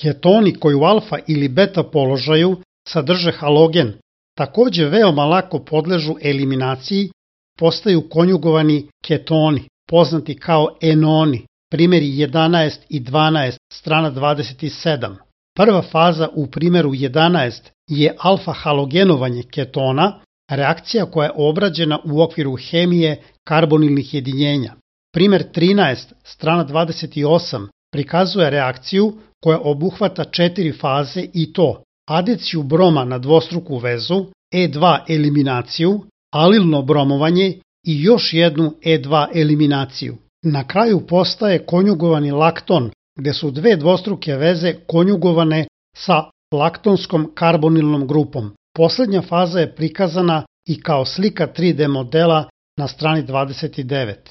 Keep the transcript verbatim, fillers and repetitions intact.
Ketoni koji u alfa ili beta položaju sadrže halogen, takođe veoma lako podležu eliminaciji, postaju konjugovani ketoni, poznati kao enoni, primjeri jedanaest i dvanaest, strana dvadeset sedam. Prva faza u primjeru jedanaest je alfa-halogenovanje ketona, reakcija koja je obrađena u okviru hemije karbonilnih jedinjenja. Primjer trinaest, strana dvadeset osam, prikazuje reakciju koja obuhvata četiri faze i to adiciju broma na dvostruku vezu, E dva eliminaciju, alilno bromovanje i još jednu E dva eliminaciju. Na kraju postaje konjugovani lakton, gde su dve dvostruke veze konjugovane sa laktonskom karbonilnom grupom. Poslednja faza je prikazana i kao slika tri D modela na strani dvadeset devet.